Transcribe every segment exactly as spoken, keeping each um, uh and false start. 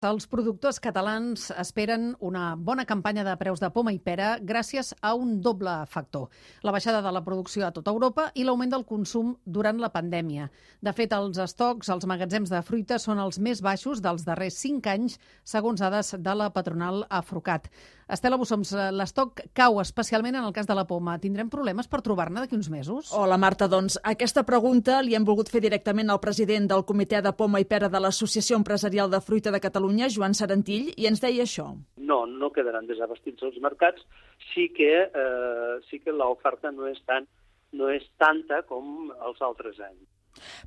Els productors catalans esperen una bona campanya de preus de poma i pera gràcies a un doble factor: la baixada de la producció a tota Europa i l'augment del consum durant la pandèmia. De fet, els estocs als magatzems de fruita són els més baixos dels darrers cinc anys, segons dades de la patronal Afrucat. Estela Bussoms, l'estoc cau especialment en el cas de la poma. Tindrem problemes per trobar-ne d'aquí uns mesos? Hola, Marta. Doncs aquesta pregunta li hem volgut fer directament al president del Comitè de Poma i Pera de l'Associació Empresarial de Fruita de Catalunya, Joan Sarentill, i ens deia això. No, no quedaran desabastits els mercats. Sí que, eh, sí que l'oferta no és tan, no és tanta com els altres anys.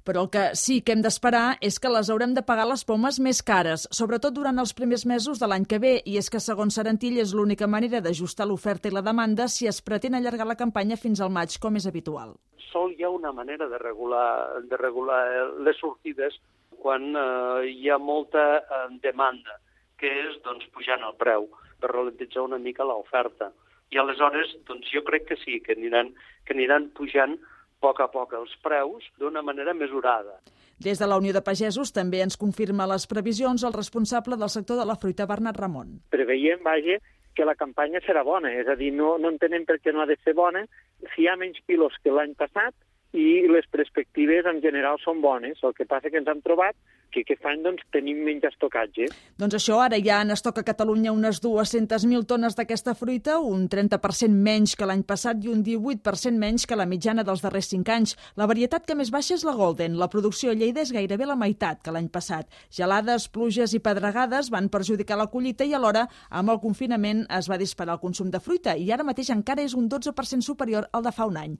Però el que sí que hem d'esperar és que les haurem de pagar les pomes més cares, sobretot durant els primers mesos de l'any que ve, i és que, segons Sarentill, és l'única manera d'ajustar l'oferta i la demanda si es pretén allargar la campanya fins al maig, com és habitual. Sol hi ha una manera de regular, de regular les sortides quan eh, hi ha molta eh, demanda, que és doncs, pujant el preu, per ralentitzar una mica l'oferta. I aleshores doncs, jo crec que sí, que aniran, que aniran pujant a poc a poc els preus d'una manera mesurada. Des de la Unió de Pagesos també ens confirma les previsions el responsable del sector de la fruita, Bernat Ramon. Preveiem, vaja, que la campanya serà bona, és a dir, no, no entenem per què no ha de ser bona si hi ha menys quilos que l'any passat i les perspectives en general són bones. El que passa que ens hem trobat que aquest any doncs, tenim menys estocatge. Doncs això, ara hi ha en estoc a Catalunya unes dues-centes mil tones d'aquesta fruita, un trenta per cent menys que l'any passat i un divuit per cent menys que la mitjana dels darrers cinc anys. La varietat que més baixa és la Golden. La producció a Lleida és gairebé la meitat que l'any passat. Gelades, pluges i pedregades van perjudicar la collita i alhora, amb el confinament, es va disparar el consum de fruita i ara mateix encara és un dotze per cent superior al de fa un any.